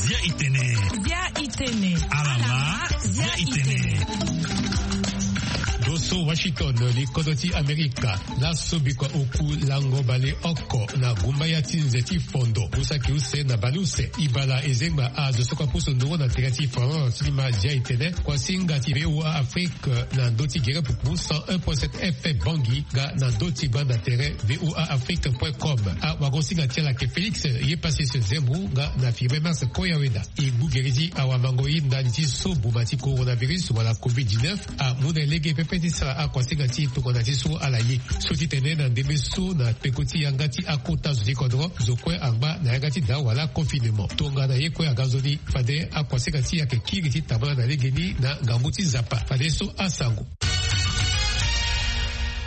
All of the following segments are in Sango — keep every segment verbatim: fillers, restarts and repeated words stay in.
Zia itene. Zia itene. Alama. Zia itene. Doso Washington, li kodro ti Amerika. Laso bikua oku lango baleoko na gumbaya ti nze ti fondo usaki use na baleuse. Ibala ezengba azo so kua pusu nduru na tere ti France ti ma zia itene. Kuasinga ti VOA Afrique na ndö ti gere pupu cent un point sept F M Bangui nga na ndö ti banda tere VOA Afrique point com. Awagosinga ti ala ke Félix ye Pacifique Zembu nga na Firmin Mars Koyaweda. E gbu gere ti awamango ye ndali ti so boma ti coronavirus wala covid dix-neuf amu na e lege pepe ti sara akuasinga ti tongana ti so ala ye. So ti tene na ndembe so na peko ti yanga ti akota zo ti kodro, zo kue angba na yanga ti daa wala confinement. Tongana ye kue aga nzoni fade akuasinga ti ayeke kiri ti tambala na legeni na ngangu ti Nzapa. Fadeso asango.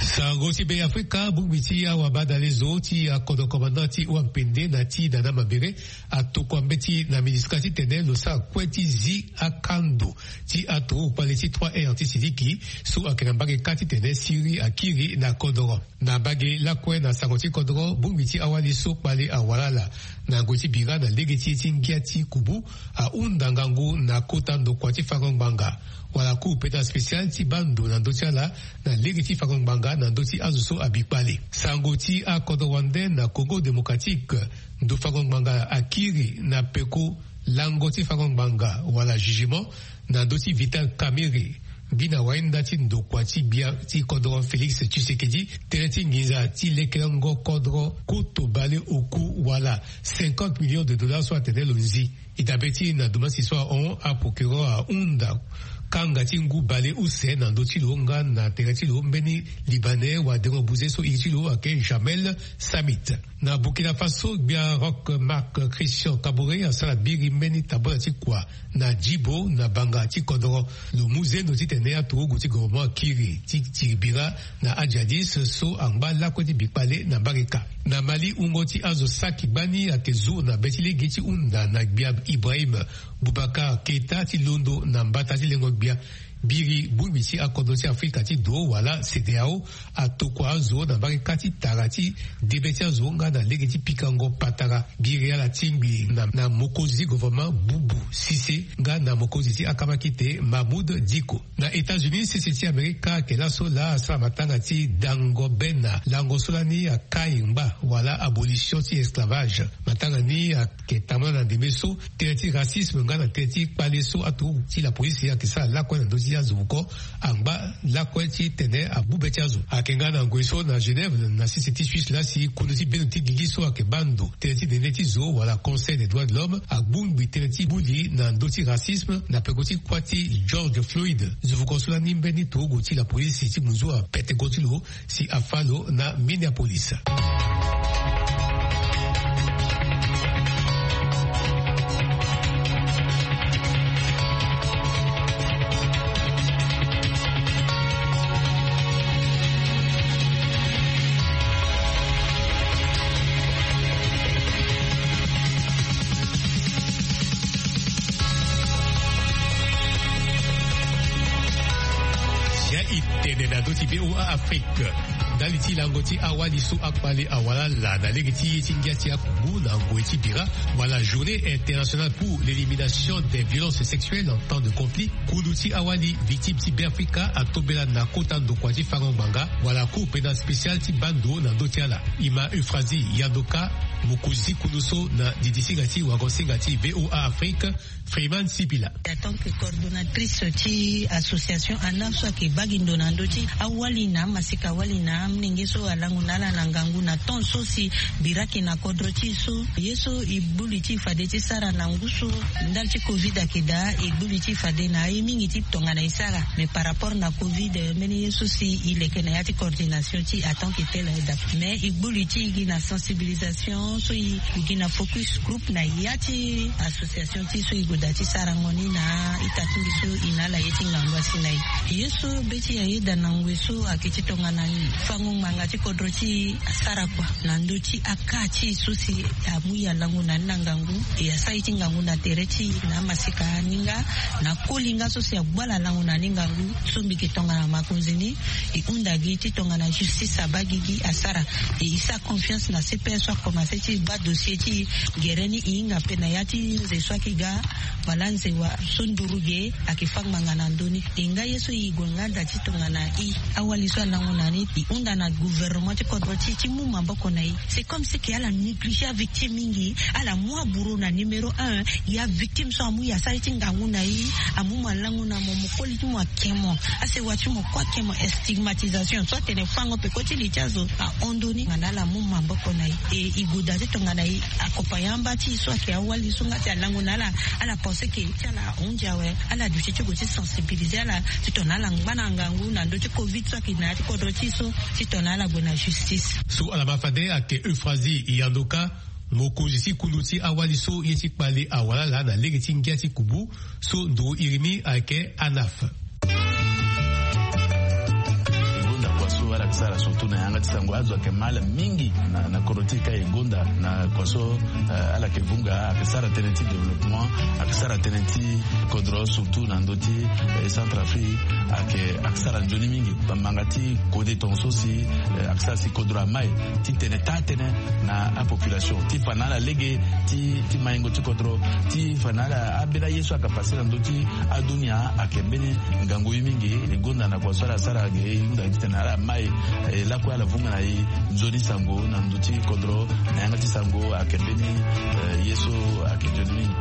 Sango ti Be Afrika, bongbi ti awabadalezo ti akodro commandant ti Wampende na ti Dada Mabere atokua mbeti na MINUSCA titene lo sara kue ti zi akando ti aturugu kpale ti trois R ti Siliki so ayeke na mbage kâ titene siriri akiri na kodoro. Na mbage lakue na sango ti kodoro, bongbi ti awali so kpale awara ala na ngoi ti bira na lege ti ye ti ngia ti kubu ahunda ngangu na kota ndokua ti fango ngbanga wala cour pénale spéciale ti baa ndo na ndö ti ala na lege ti fango ngbanga na ndö ti azo so abi kpale. Sango ti akodro wande na Congo Démocratique, ndo fango ngbanga akiri na peko lango ti fango ngbanga wala jugement na ndö ti Vital Kamerhe, ngbina wainda ti ndokua ti gbia ti kodro Félix Tshisekedi, tënë ti nginza ti lekerengo kodro koto baleoku wala cinquante millions de dollars so atene lo zi. E dabe ti na dumasi so ahon, aprocureur ahunda kanga ti ngu baleuse na ndö ti lo nga na tere ti lo mbeni Libanais wadengo buze so iri ti lo ayeke Jamel Samit. Na Burkina Faso, gbia Roch Marc Christian Kaboré asara biri mbeni tambula ti kua na Djibo na banga ti kodoro. Lo mu zendo titene aturugu ti gouvernement akiri ti tiri bira na ajihadiste so angba lakue ti bi kpale na mbage kâ. Na Mali, wungo ti azo saki gbani ayeke zu na be ti lege ti hunda na gbia Ibrahim Boubacar Keita ti londo na mbata ti lengo gbia. Biri bongbi ti akodro ti Afrika ti do wala CEDEAO atokua azo na mbage kâ ti tara ti debe ti azo nga na lege ti pikango patara. Biri ala tingbi na, na mokonzi gouvernement Boubou Cissé nga na mokonzi ti akamakite Mamoud Dicko. Na États-Unis, sese ti Amerika ayeke laso laa asara matanga ti dango be na lango so lani akai ngba wala abolition ti esclavage. Matanga ni ayeke tambula na ndembe so tënë ti racisme nga na tënë ti kpale so aturugu ti lapolisi ayeke sara lakue na ndö ti azo oko angba lakue titene agbu be ti azo. Ayeke nga na ngoi so na Genève na sese ti Suisse laa si kundu ti bendo ti gigi so ayeke baa ndo tënë ti nene ti zo wala Conseil des droits de l'homme agbu ngbi tënë ti gbu li na ndö ti racisme na peko ti kuâ ti George Floyd. Zo fuko so lani mbeni turugu ti lapolisi ti munzu apete go ti lo si afâ lo na Minneapolis. Sia e tene na ndö ti VOA Afrique. Ndali ti lango ti awali so akpale awara ala na lege ti ye ti ngia ti akubu na ngoi ti bira wala Journée internationale pour l'élimination des violences sexuelles en temps de conflit. Kundu ti awali victime ti Beafrika atombela na kota ndokua ti fango ngbanga wala Cour pénale spéciale ti baa ndo na ndö ti ala. E ma Euphrasie Yandoka, mokonzi ti kundu so na didisinga ti wagosinga ti VOA Afrique, Freeman Sipila. En tant que coordonnatrice ti association ANAR so ayeke baa gi ndo na ndö ti awali na amaseka wali na amolenge so alango na ala na ngangu na temps so si bira ayeke na kodro ti e so, ye so e gbu li ti e fade ti sara na ngu so ndali ti covid ayeke daa, e gbu li ti e fade na aye mingi ti tongana e sara. Mais par rapport na covid, mbeni ye so si e leke na ya ti coordination ti e en tant que tel aye daa. Mais e gbu li ti e gi na sensibilisation. So e gue gi na focus groupe na ya ti association ti so e gue daa ti sarango ni na ita ti mbi so e na ala ye ti ngangu asi na e. Ye so be ti ayeda na ngoi so ayeke ti tongana fango ngbanga ti kodro ti e asara kua na ndö ti akaa ti e so si amu e alango na ni na ngangu, e asara ye ti ngangu na tere ti e na amasika ni nga na koli nga so si agbu ala lango na ni ngangu. So mbi yeke tongana makonzi ni, e hunda gi ti tongana justice abaa gigi asara. E e sara confiance na C P S so akomanse ti baa dossier ti e. Gere ni e hinga ape na ya ti nze so ayeke ga wala nze wa so nduru ge ayeke fâ ngbanga na ndö ni. E nga ye so e gue nga daa ti tongana e awali so alango na ni, e hunda na gouvernement ti kodro ti e ti mu maboko na e. C'est comme si ke ala néglige avictime mingi. Ala mu aburo na numéro un. Ya victime so amu e asara ye ti ngangu na e, amu mo alango na mo, mo koli ti mo ake mo, asewa ti mo kue ake mo. Stigmatisation so atene fango peko ti li ti azo ahon ndö ni. Nga na ala mu maboko na e. E e gue daa ti tongana e accompagner amba ti e so ayeke awali so nga si alango na ala, ala pense ke ti ala ahon ndia awe. Ala duti ti gue ti sensibiliser ala ti tongana ala ngba na ngangu na ndö ti covid so ayeke na ya ti kodro ti e so, ti tongana ala gue na justice. So ala ma fade ayeke Euphrasie Yandoka, mokonzi ti kundu ti awali so ye ti kpale awara ala na lege ti ngia ti kubu, so nduru iri ni ayeke ANAF. E gonda kua so ala yeke sara surtout na yanga ti sango, azo ayeke ma ala mingi na, na kodro ti e ka. E gonda na kua so, eh, ala yeke vunga, ayeke sara tënë ti développement, ayeke sara tënë ti kodro surtout na ndö ti, eh, Centrafrique. Ayeke, ayeke sara nzoni mingi. Bambanga ti kode tongaso si, eh, ayeke sara si kodro ama e ti tene taa tënë na apopulation, ti fa na ala lege ti, ti maingo ti kodro, ti fa na ala ambeni aye so ayeke pase na ndö ti adunia. Ayeke mbeni ngangu ye mingi. E gonda na kua so ala sara ge, e hunda titene ala ma e, e lakue ala vunga na e nzoni sango na ndö ti kodro, na yanga ti sango. Ayeke mbeni, eh, ye so ayeke nzoni mingi.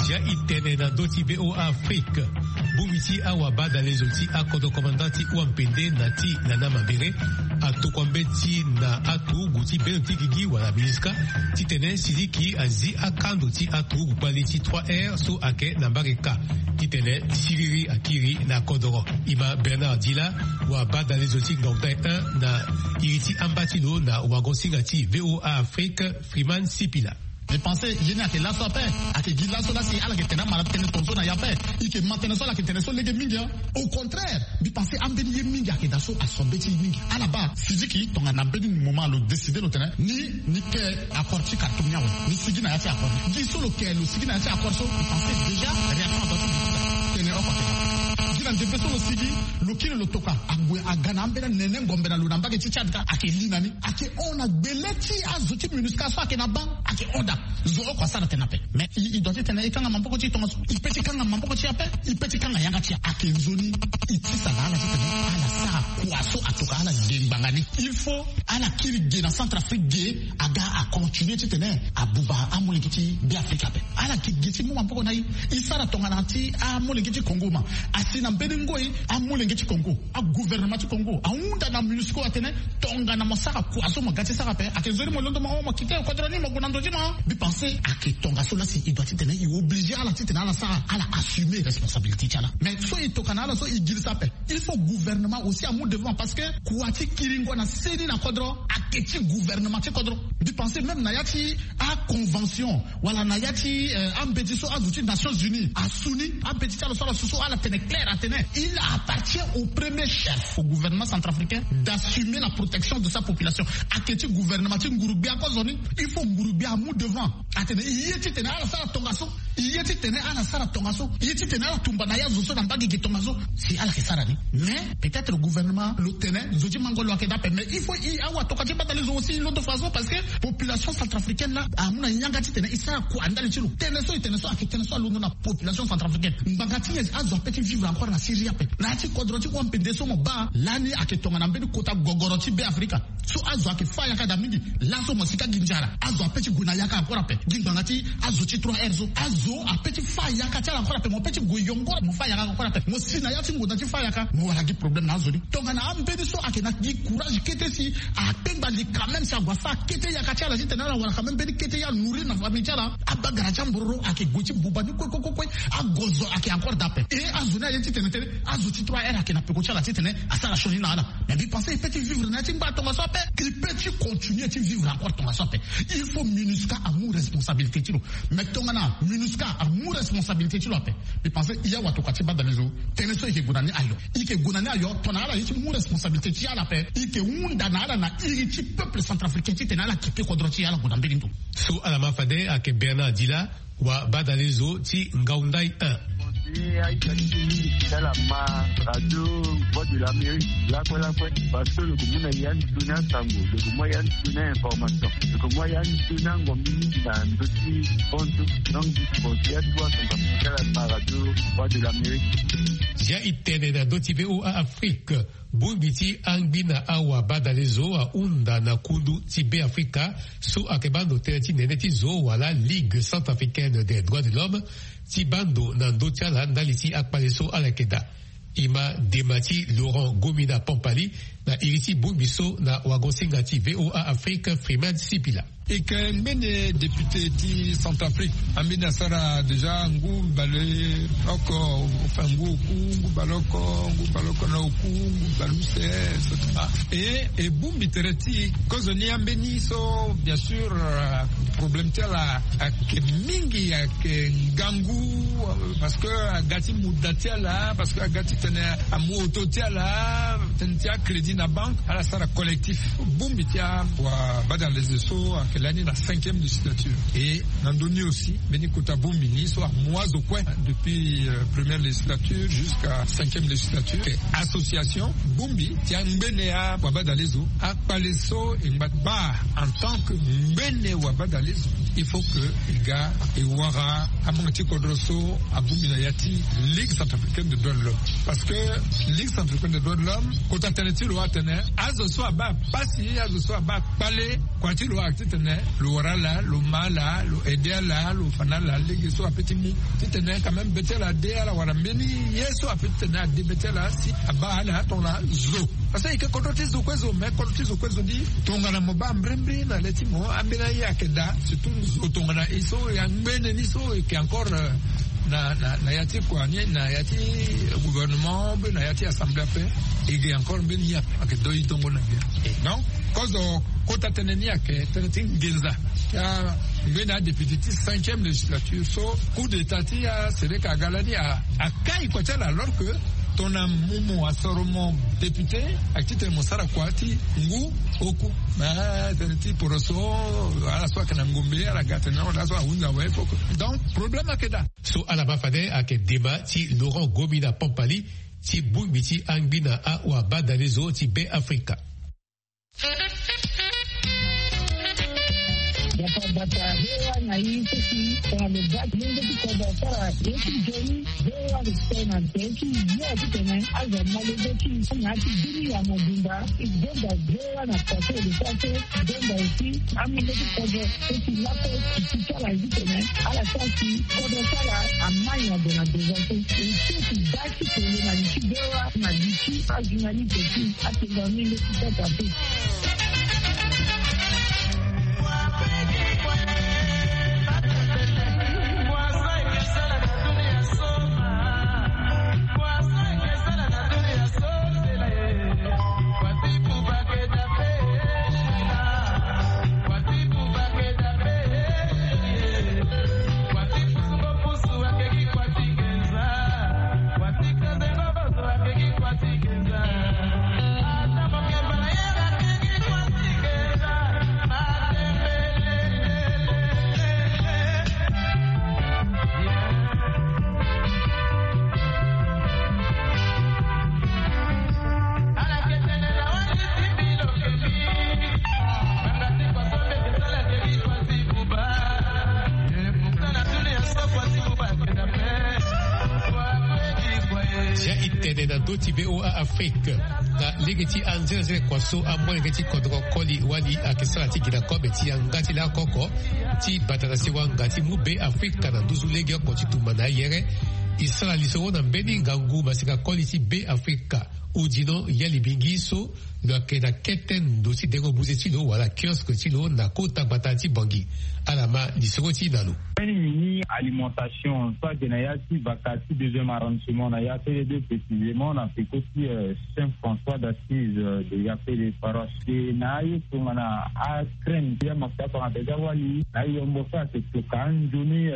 Sia e tene na ndö ti V O A Afrique. Bongbi ti awabadalezo ti akodro commandant ti Wampende na ti Nana Mambere atokua mbeti na aturugu ti beno ti gigi wala MINUSCA titene Sidiki azi akando ti aturugu kpali ti trois R so ayeke na mbage ka titene siriri akiri na kodoro. E ma Bernard Dila, wabadalezo ti Ngaotai un na iri ti amba ti lo na wagon-singa ti V O A Afrique, Freeman Sipila. Mbi pense ye ni ayeke laso ape. Ayeke gi laso laa si ala yeke tene amalade tënë tongaso na e ape. E yeke ma tënë so ala yeke tene so lege mingi, hein. Au contraire, mbi pense ambeni ye mingi ayeke daa so asombe ti e mingi. Ala baa Sidiki tongana mbeni moment lo décide lo tene ni, ni ke accord ti Khartoum ni awe, ni sigi na ya ti accord. Gi so lo ke lo sigi na ya ti accord so, mbi pense déjà réaction adoit ti tene oko atene. Gi na ndembe so lo sigi, lo kiri lo toka, ague aga na ambeni anene ngombe na lo na mbage ti Tchad ka, ayeke li na ni. Ayeke hon na gbele ti azo ti MINUSCA so ayeke na baa, ayeke hon daa. Zo oko asara tënë ape. Mais e, e doit ti tene e kanga maboko ti e tongaso. E peut ti kanga maboko ti e ape. E peut ti kanga yanga ti e. Ayeke nzoni. E tisa na ala titene ala sara kua so atoka ala ge ngbanga ni. Il faut ala kiri ge na Centrafrique ge, aga acontinuer titene abuba amolenge ti Beafrika ape. Ala ke ge ti mu maboko na e. E sara tongana ti amolenge ti Congo ma asi na mbeni ngoi amolenge ti Congo. Agouvernement ti Congo ahunda na MINUSCO atene tongana mo sara kua so mo ga ti sara ape, ayeke nzoni mo londo mo, mo kite kodro ni mo gue na ndo ti mo. Mbi pense ayeke tongaso laa si e doit titene e oblige ala titene ala sara, ala assumer responsabilité ti ala. Mais so e toka na ala so e girisa ape. Il faut gouvernement aussi amu devant parce que kua ti kiringo na seni na kodro ayeke ti gouvernement ti kodro. Mbi pense même na ya ti aconvention wala na ya ti, eh, ambeti so azo ti Nations Unies asu ni, ambeti ti ala so ala su so ala tene clair atene il appartient au premier chef au gouvernement centrafricain d'assumer la protection de sa population. Ayeke ti gouvernement ti nguru-gbia kozo ni. Il faut nguru-gbia amu devant atene e ye titene ala sara tongaso, e ye titene ala sara tongaso, e ye titene ala tumba na ya zo so na mbage ge tongaso. Si ala yeke sara ni. Mais peut-être gouvernement lo tene zo ti mango lo ayeke daa ape, mais il faut e awa toka ti badale zo aussi londo faso parce que population centrafricaine laa amu na yanga titene e sara kua ndali ti lo. Tënë so e tene so ayeke tënë so alondo na population centrafricaine. Ngbanga ti nyen azo ape ti vivre encore na Syrie ape? Na ya ti kodro ti Wampende so mo baa lani ayeke tongana mbeni kota gogoro ti Beafrika. So azo ayeke fâ yaka daa mingi. Laso mo si ka gi nzara, azo ape ti gue na yaka encore ape. Gi ngbanga ti azo ti trois R so, azo ape ti fâ yaka ti ala encore ape. Mo pe ti gue yongoro mo fâ yaka encore ape. Mo si na ya ti ngonda ti fâ yaka mo wara gi problème na azo ni. Tongana ambeni so ayeke na gi courage kete si akpengba Li quand même si ague asara kete yaka ti ala titene ala wara quand même mbeni kete ya nourrir na famille ti ala. Abagara ti ambororo ayeke gue ti buba ni kue kue kue kue. Agozo ayeke encore dape. E azo ni aye titene tene azo ti trois heures ayeke na peko ti ala titene asara sioni na ala. Mais mbi pense e peut ti vivre na ya ti ngba tongaso ape. E peut ti continuer ti vivre encore tongaso ape. Il faut MINUSCA amu responsabilité ti lo. Mais tongana MINUSCA amu responsabilité ti lo ape, mbi pense e ya watokua ti badalezo. Tënë so e yeke gue na ni ayo, e yeke gue na ni ayo. Tongana ala ye ti mu responsabilité ti ala ape, e yeke hunda na ala na iri ti peuple centrafricain titene ala kipe kodro ti e, ala gue na mbeni ndo. So ala ma fade ayeke Bernard Dila, wa badalezo ti Ngaoundai un. Ye aita ti mingi ti ala ma radio Voix de l'Amérique lakue lakue. Parce que lo ke mu na ya ni toni asango, lo ke mu ya ni toni information, lo ke mu ya ni toni angombi mingi na ndö ti kontu. Donc disi kontu ya tout asango ti ala ma radio Voix de l'Amérique. Ya e tene na ndö ti VOA Afrique. Bongbi ti angbi na awa badalezo ahunda na kundu ti Beafrika so ayeke baa ndo tënë ti nene ti zo wala Ligue centrafricaine des droits de l'homme ti baa ndo na ndö ti ala ndali ti akpale so ala yeke daa. E ma dema ti Laurent Gomina Pampali na iri ti bongbi so na wagosinga ti VOA Afrique Freeman Sipila. E yeke ngbene député ti Centrafrique. Ambeni asara déjà ngu baleoko, enfin ngu oku, ngu baleoko, ngu baleoko na oku, ngu baleuse, et cetera. E e bongbi tere ti kozo ni ambeni so bien sûr, euh, problème ti ala ayeke mingi, ayeke ngangu, euh, parce que aga ti muda ti ala, parce que aga titene amu oto ti ala, tënë ti acrédit na banque, ala sara collectif. Bongbi ti awabadalezo so ayeke lani na cinquième législature. Et na ndö ni aussi mbeni kota bongbi ni so amu azo kue depuis, euh, première législature jusqu'à cinquième législature. Association bongbi ti angbene awabadalezo, akpale so e ngba ti baa en tant que ngbene wabadalezo, il faut que e ga e wara amanga ti kodro so abongbi na ya ti Ligue centrafricaine des droits de l'homme. Parce que Ligue centrafricaine des droits de l'homme, kota tënë ti lo atene azo so abaa pasi, azo so abaa kpale, kua ti lo ayeke titene lo wara ala, lo ma ala, lo aide ala, lo fa na ala lege so ape ti mu titene quand même be ti ala ade, ala wara mbeni ye so ape titene ade be ti ala si abaa ala tongana zo. Parce que e yeke kodro ti zo kue zo, mais kodro ti zo kue zo ni tongana mo baa mbrimbri na le ti mo, ambeni aye ayeke daa, surtout zo tongana e so e angbene ni so e yeke encore, euh, na, na, na ya ti kua ni, na ya ti gouvernement, mbe na ya ti assemblée ape, e ge encore mbeni ye ape ayeke doi tongo na ngia. Donc kozo kota tënë ni ayeke tënë ti nginza. Ya ngbene adéputé ti cinquième législature so coup d'état ti asereka aga lani a, akai kua ti ala, alors que tongana mo, mo asoro mo député, ayeke titene mo sara kua ti ngu oku. Mais tënë ti poroso, ala so ayeke na ngombe ala ga tene na ala so ahunza awe fo. Donc problème ayeke daa. So ala ma fade ayeke dema ti Laurent Gomina Pampali ti bongbi ti angbi na awabadalezo ti Beafrika. Bata bata, hewa na ye seki tongana lo ga ti lenge ti kodro asara ye ti nzoni. Hewa lo tene na nze ti ye titene azo amolenge ti na ya ti bini ya mobimba. E gonda hewa na kua so e lo sara so. E gonda aussi amolenge ti kodro so ti lakue ti ti ti ala ye titene ala sara si kodro ti ala amai na gue na devant so. E so ti da ti tene na li ti hewa na li ti ajournaliste ti Atenga mingi ti kota te. Ya e tene na ndö ti VOA Afrique. Na lege ti anzenze kua so amolenge ti kodro koli wali ayeke sara ti gi na kobe ti yanga ti laoko oko ti bata na sewa nga ti mu Beafrika na nduzu legeoko ti tumba na ayere. E sara lisoro na mbeni ngangu maseka koli ti Beafrika. Odino ya libingi so lo yeke na kete ndo ti dengo buze ti lo wala kiosque ti lo na kota gbata ti Bangui. Ala ma lisoro ti na lo. Mbeni mini alimentation so ayeke na ya ti baka ti deuxième arrondissement na ya T D deux, précisément na peko ti Saint François d'Assise de Yapele paroisse. E na aye tongana acrème ti amafuta tongana déjà wali na ayombo so ayeke toka anzoni,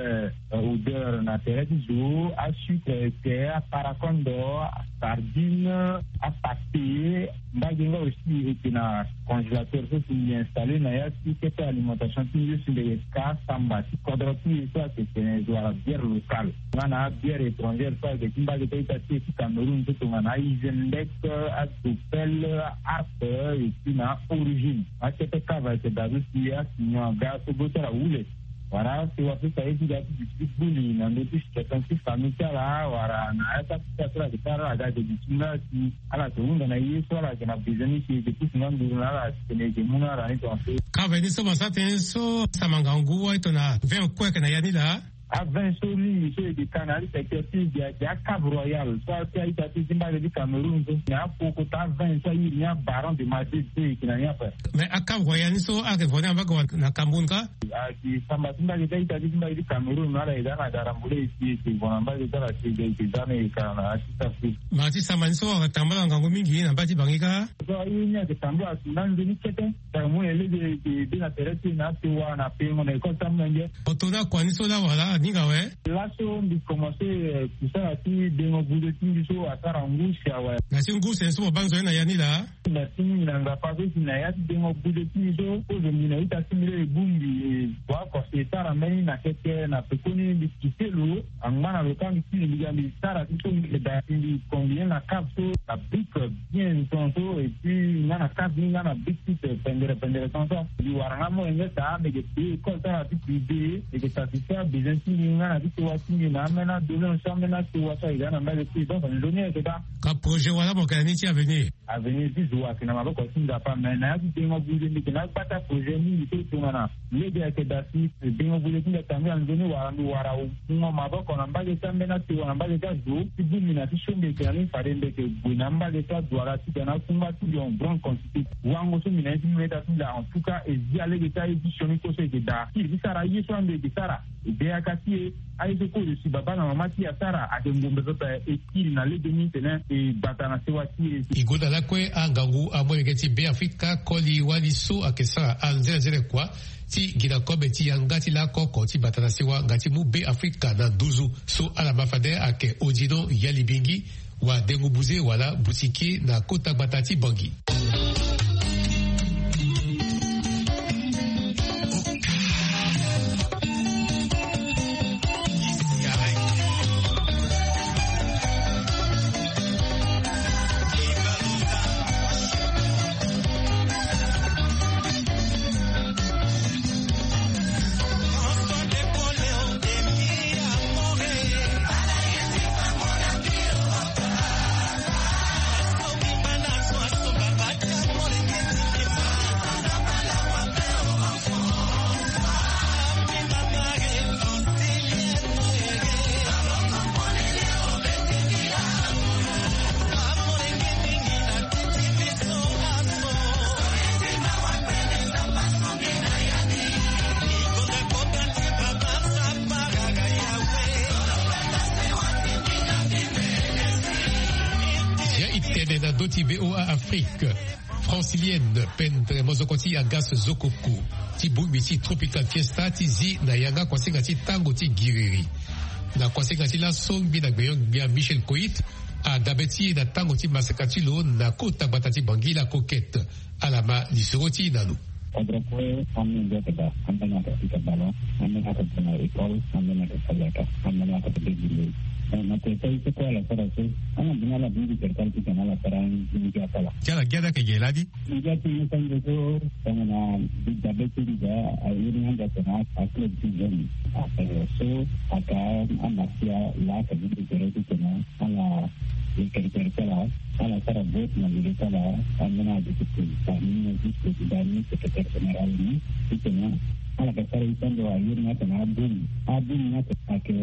odeur na tere ti zo, asucre, ete, aparakondo, asardine, apate. Mbage nga aussi ete na congélateur so si mbi installé na ya ti kete alimentation ti mbi so si mbi yeke ka samba ti kodro ti e so ayeke tene zo wala bière locale nga na abière étrangère so ayeke ti mbage ti a-ita ti e ti Cameroun so tongana a-Isenbeck, a-Dopel, a-Harp, et puis na a-Origine. Akete kava ayeke daa so si asinyo aga so go ti ala wule. Wala si wa so si aye ti ga ti duti ti gbuli na ndö ti situation ti famille ti ala wala na ya ti akita so ala yeke sara ala ga ayeke duti nga si ala yeke hunda na ye so ala yeke na besoin ni si e yeke pusu nga nduru na ala si tene e yeke mu na ala ni tongaso. Kava ni so mo sara tënë so sama ngangu aye tongana vingt kue ayeke na ya ni laa. Avin so mingi so e yeke ka na ali secteur ti e gi ake a Cave Royal so a ti a-ita ti e ti mbage ti Cameroun so na apoko ta avin so a iri ni abaron de made de e yeke na ni ape. Mais a Cave Royal ni so ayeke vo ni na mbage wa na Cameroun ka? Ayeke samba ti mbage ti a-ita ti e ti mbage ti Cameroun na ala e za na darambole e si e yeke vo na mbage ti ala si e yeke za na e ka na ya ti safri. Ma ti samba ni so ayeke tambala ngangu mingi na mbage ti Bangui ka? So aye ni ayeke tambala si na nzoni kete. Tara mu na e lege e de na tere ti e na asewa na pengo na école ti amolenge. Oto na kua ni so laa wala aninga awe? Laso mbi commencé kusala ti dengo buze ti mbi so asara ngu si awe. Na ti ngu si aye so mo baa nzoni na ya ni laa? Na ti mingi na Nzapa so si na ya ti dengo buze ti mbi so so zo mbi na ita ti mbi laa e bongbi e bua oko si e sara mbeni na keke na pekoni mbi kite lo. Angba na lo kâ mbi ti mbi ga mbi sara ti so mbi yeke daa si mbi combiner na cave so na brique bien tongaso et puis nga na cave ni nga na brique ti pendere pendere tongaso. Mbi wara nga molenge daa mbi yeke paye école ti ala ti privé, mbi yeke satisfaire abesoin ti mbi nga na ti sewa ti mbi na ambeni adonation ambeni asewa so ayeke ga na mbage ti e. Donc nzoni ayeke daa. Ka projet wala mo yeke na ni ti avenir? Avenir ti zo ayeke na maboko ti Nzapa, me na ya ti dengo buze mbi yeke na agbata projet mingi so tongana lege ayeke daa si dengo buze ti mbi atambula nzoni wala mbi wara mungo maboko na mbage ti ambeni asewa na mbage ti azo ti bongbi na ti so mbi yeke na ni fade mbi yeke gue na mbage ti aduala ti ga na akungba ti mbi en grande quantité. Wango so mbi na ye ti mbi meta ti mbi laa en tout cas e zi alege ti aye ti sioni kue so e yeke daa ti e ti sara aye so ambi e yeke sara. E de yaka ti e aye so kue lo si babâ na mama ti e asara ayeke ngombe pepe. E kiri na lege ni tene e gbata na sewa ti e. E gonda lakue angangu amolenge ti Beafrika koli wali so ayeke sara anzenenzene kua ti gi na kobe ti yanga ti lako oko ti bata na sewa nga ti mu Beafrika na nduzu so ala ma fade ayeke Odino Yalibingi, wadengu buze wala butiki na kota gbata ti Bangui. Ya e tene na ndö ti V O A Afrique. Francilienne, pendre mozoko ti Agas Zokoko, ti bongbi ti Tropical Fiesta ti zi na yanga kuasinga ti tango ti giriri. Na kuasinga ti laso ngbi na gbenyo-gbia Michel Koit, adabe ti e na tango ti maseka ti lo na kota gbata ti Bangui la Coquette. Ala ma lisoro ti e na lo. Kodro kue, ambeni ayeke daa, ambeni ayeke pika ballon, ambeni ayeke gue na école, ambeni ayeke sali yaka, ambeni ayeke bebile. Na tere ti aye so kue ala sara so, ala bini ala bongbi tere ti ala ti tene ala sara nginza ti ala. Ti ala gi ade ayeke ge ladi. Nginza ti mbi so, tongana mbi dabe ti mbi daa, a iri ni ande atene aclub ti jeune. Ape so, ataa amasia laa ayeke bongbi tere ti tene ala yeke tere ti ala, ala sara vote na lege ti ala, ambeni ayeke ti président ni, vice président ni, secrétaire général ni, ti tene ala yeke sara ye ti ando aye ni atene abongbi. Abongbi ni atene ayeke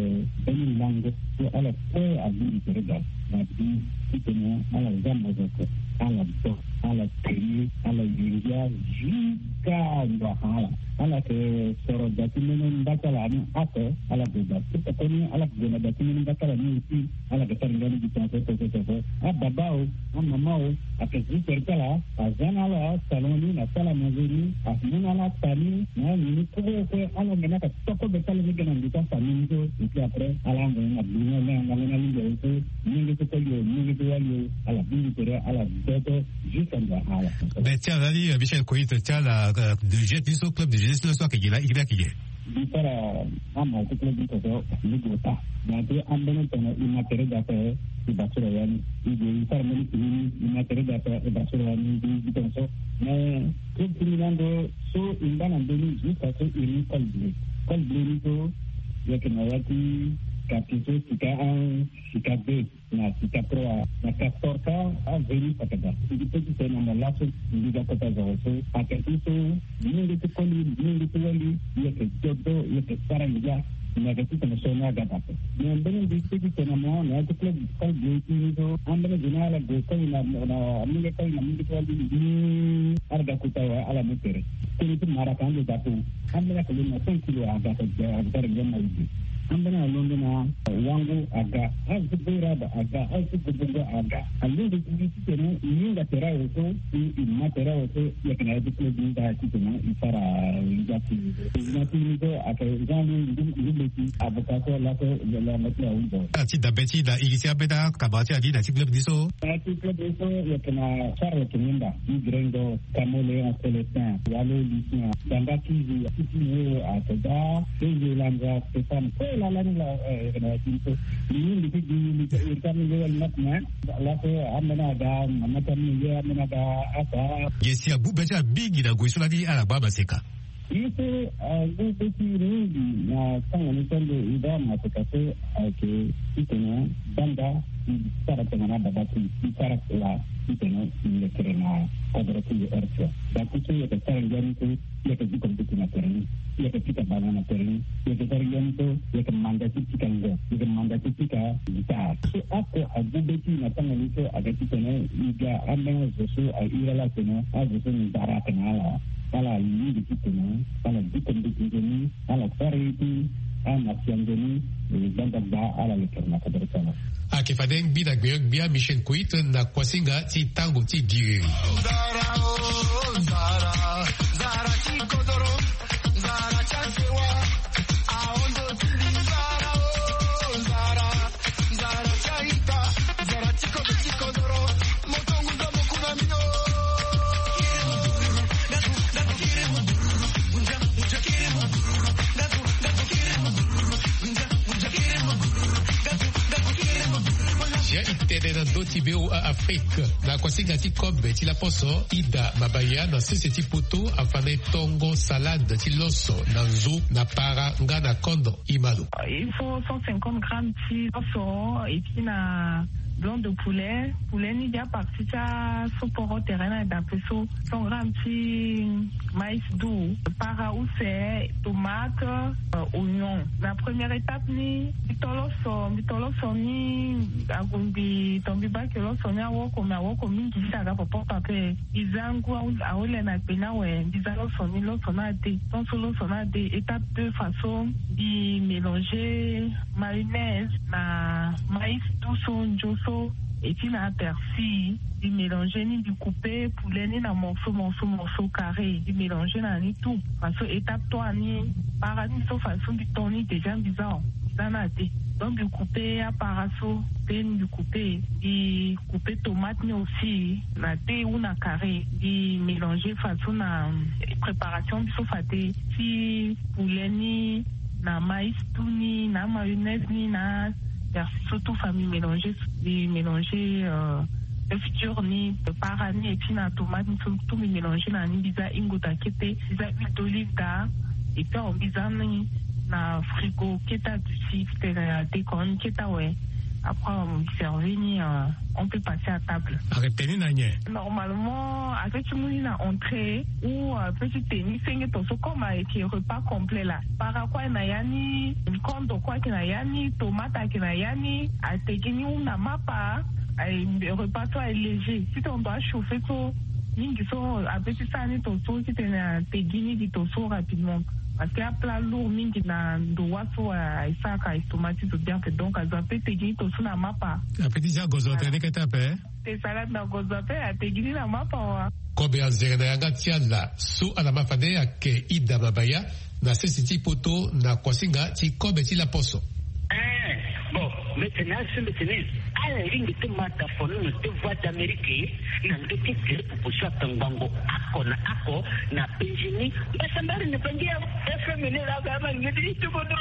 mbeni lango so ala kue abongbi tere daa. Na bi titene ala za mozoko, ala do, ala tene, ala yu ngia. Jusqu'à ndo afa ala. Ala yeke soro da ti mbeni mbatala ni oko, ala gue da ti koko ni, ala gue na da ti mbeni mbatala ni aussi. Ala yeke sara ngia ni gi tongaso tongaso tongaso. Ababa o, amama o, ayeke zi tere ti ala. Aza na ala salon ni na sala manze ni, amu na ala ata ni na ala nini kue kue. Ala ngbene aka toko be ti ala ni ga na ndo ti afamille ni so. Et puis après ala ngbene na bino na ngangu na lingere so. Mingi ti koli o, mingi ti wali o, ala biri tere, ala dodo. Jusqu'à ndo afa ala. Mais ti ala ni, euh, Michel Koit, ti ala, euh, de jeunesse ni so, club de jeunesse ni so ayeke gi laa, iri ayeke gi. Mbi sara ama ti club ni so, mbi gue ota. Donc ambeni tongana e ma tere daa ape, e basura ya ni. E gue e sara mbeni tini ni, e ma tere daa ape, e basura ya ni. Mbi gi tongaso. Mais club ti mbi ni ando so e ngba na mbeni jusqu'à so e mu Col Bleu. Col Bleu ni so e yeke na ya ti quartier so sika un, sika deux. Na sika trois, na Castor ka, aveni saka daa. Mbi pe ti tene na mo laso, mbi ga kota zoro so. Ayeke ti so, mingi ti koli, mingi ti wali, e yeke dodo, e yeke sara ngia. Mbi yeke ti tene so ni aga daa ape. Mais mbeni mbi pe ti tene na mo, na ya ti club, club ti ni so, ambeni zo ni ala gue koli na, na mingi koli na mingi ti wali, mbi ala ga kota awe, ala mu tere. Tënë ti maraka ande daa ape. Ambeni ayeke lo na cinq kilo aga, aga sara ngia na ide. Ambeni alondo na wango aga, azo ti boiraba aga, azo ti gobongo aga. Alingbi ti titene e hinga tere awe so, e, e ma tere awe so, e yeke na ya ti club ni daa titene e sara ngia ti e. Na ti ni so ayeke Jean Louis Ndu-, Ndubeti, avocat so laso, lo, lo, lo, lo, lo. Ti dabe ti da e gi ti ambeni akama ti ani na ti club ni so. Na ya ti club ni so e yeke na Charles Kinimba, ti Gringo. Kamo Léon Célestin, Walo Lucien, Danga Kizi, Titi Wo, Atoda, Ezo Langa, Stéphane, kue lala ni la, eh, na ya ti so. Ni, ni, ni, ni, ni, ni, ni, ni, ni, ni, laso, ambeni aga, mama ti ambeni ye, ambeni aga, asa. Ye si abu be ti ala mingi na ngoi so lani ala ngba maseka. Ye so, ah, agu be ti mingi na tango ni so ando e baa maseka so ayeke titene banda e sara tongana baba ti e sara kua titene e lekere na kodro ti lo R C A. Dati so e yeke sara ngia ni so, e yeke diko mbeti na tere ni, e yeke pika bana na tere ni, e yeke sara ngia ni so, e yeke manda ti pika ngo, e yeke manda ti pika guitare. So oko agu be ti e na tango ni so ayeke titene e ga ambeni azo so a iri ala atene azo so nzara ayeke na ala. Ala lingbi titene ala diko mbeti nzoni, ala sara ye ti ana sia nzoni, e gbanda gba ala lekere na kodro ti ala. Ayeke fade ngbi na gbenyo-gbia Michel Koit na kuasinga ti tango ti diriri. Sia e tene na ndö ti V O A Afrique na kuasinga ti kobe ti laposo Ida Mabaya na sese ti poto afa na e tongo salade ti loso na nzu na para nga na kondo. Imalo. Il faut cent cinquante grammes ti loso, et puis na blanc de poulet. Poulet ni dia partie ti aso poro tere na dape so. Cent grammes ti maïs doux, para use, tomate, euh, oignon. Na première étape ni, mbi to loso, mbi to loso ni, ague mbi to mbi bake loso ni awoko, mais awoko mingi ti aga popo ape. Mbi za ngu aho-, ahole na gbe ni awe, mbi za loso ni, loso ni ade. Tant so loso ni ade, étape deux, façon mbi mélanger mayonnaise na maïs doux so, nzo so, et puis na persil. Mbi mélanger ni, mbi couper poulet ni na morceau, morceau, morceau carré. Mbi mélanger na ni tout. Façon étape trois ni, para ni so, façon mbi to ni déjà, mbi za o. Mbi za ni ade. Donc mbi couper apara so, pe mbi couper. Mbi couper tomate ni aussi na deux ou na carré, mbi mélanger façon na préparation biso fade ti poulet ni, na maïs doux ni, na mayonnaise ni, na persil so tout fa mbi mélanger, mbi mélanger, euh, œuf dur ni, para ni, et puis na tomate ni so tout mbi mélanger na ni, mbi za hingo daa kete, mbi za huile d'olive daa, et puis awe mbi za ni na frigo kete, aduti titene ade, quand même kete awe. Après, on servi ni, euh, on peut passer à table. Arrêté ni na nyen? Normalement, avec ti mu ni na entrée ou, euh, petit tenue, senge to so comme avec repas complet là. Para quoi na yani, kondo quoi qui na yani, tomate qui na yani, a tegini ou na mapa, euh, repas toi est léger. Si ton doit chauffer so, mingi so, avec ça ni to so, si tu na tegini di to so rapidement. Parce que a plat lourd mingi na ndo wa so, euh, ça ka estomac ti to bien que donc, azo ape tegini to so na mapa. Ape ti ja gozo tene kete ape. Te salade na gozo ape, a tegini na mapa wa. Kobe anzere na yanga ti ala so ala ma fade ake Ida Mabaya na sese ti poto na kuasinga ti kobe ti laposo. Eh, bon, mbetene asu mbetene. Ala ringi ti mata fono na te Voix d'Amérique na ndo ti tele proposition ata ngbongo ako na ako na penjini. Mbasambari ni pangia F M ni la ga ma ngidi ti bodo.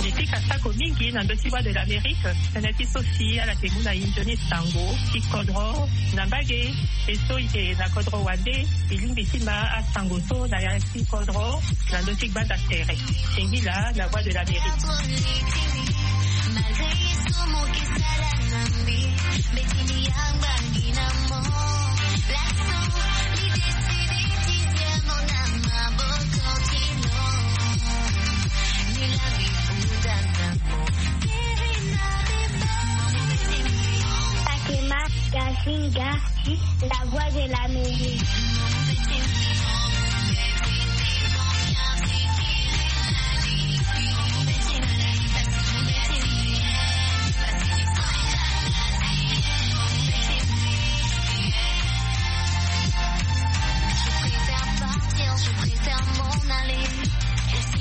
Nde ti kasako mingi na ndö ti Voix de l'Amérique, tënë ti so si ala yeke mu na e nzoni sango ti kodro na mbage. E so e yeke na kodro wande, e lingbi ti ma asango so na ya ti kodro na ndö ti gbanda tere. Singila na Voix de l'Amérique. Fatima Gasinga, la Voix de l'Amérique.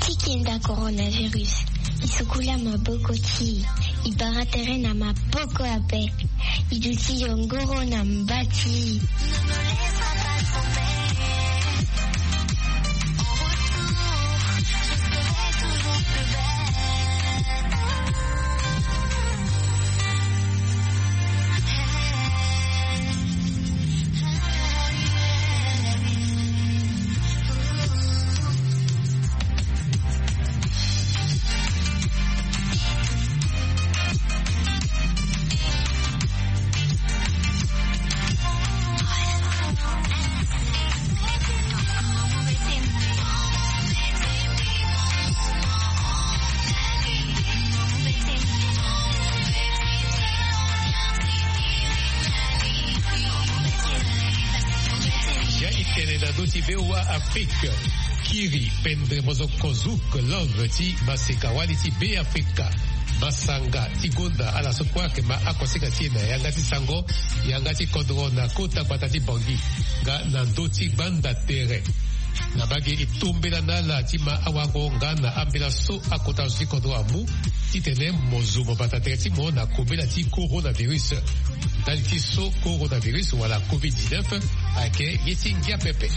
Ti kenda coronavirus, e sukula maboko ti e, e bara tere na maboko ape, e duti yongoro na mba ti e. Ya e tene na ndö ti V O A Afrique. Kiri pendere mozoko Zouk Love ti maseka wali ti Be Afrika. Masanga ti gonda ala so kue ayeke ma akosinga ti e na yanga ti sango, yanga ti kodro na kota gbata ti Bangui nga na ndö ti gbanda tere. Na mbage e tombela na ala ti ma awango nga na ambela so akota zo ti kodro amu titene mo zo mo bata tere ti mo na kobela ti coronavirus. Ndali ti so coronavirus wala covid dix-neuf ayeke ye ti ngia pepe.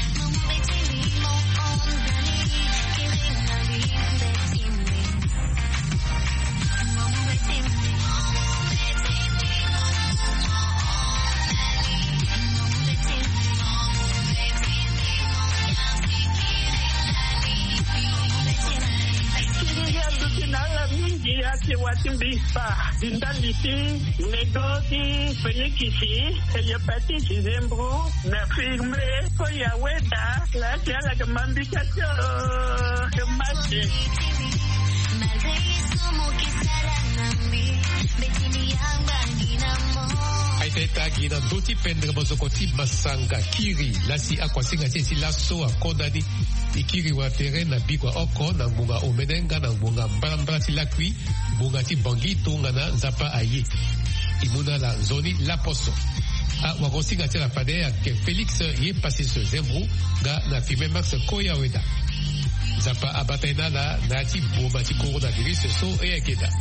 Kiri azo ti na ala mingi ake wa ti mbi fa di ndali ti nego ti fenikisi, hepatite, zembro, na firme, koya weda la ti ala ke mambi ka ti o ke mate. Aita eta gi na ndö ti pendere mozoko ti masanga kiri lasi akuasinga ti e ti laso akonda ni. E kiri wa tere na bikua oko na ngbonga omene nga na ngbonga mbalambala ti lakui, ngbonga ti bangi tongana nzapa aye. E mu na ala nzoni laposo. Awagosinga ti ala fade ayeke Félix ye Pacis Zembro nga na Firmin Max Koyaweda. Nzapa abata ye na ala na ya ti boma ti coronavirus so e yeke daa.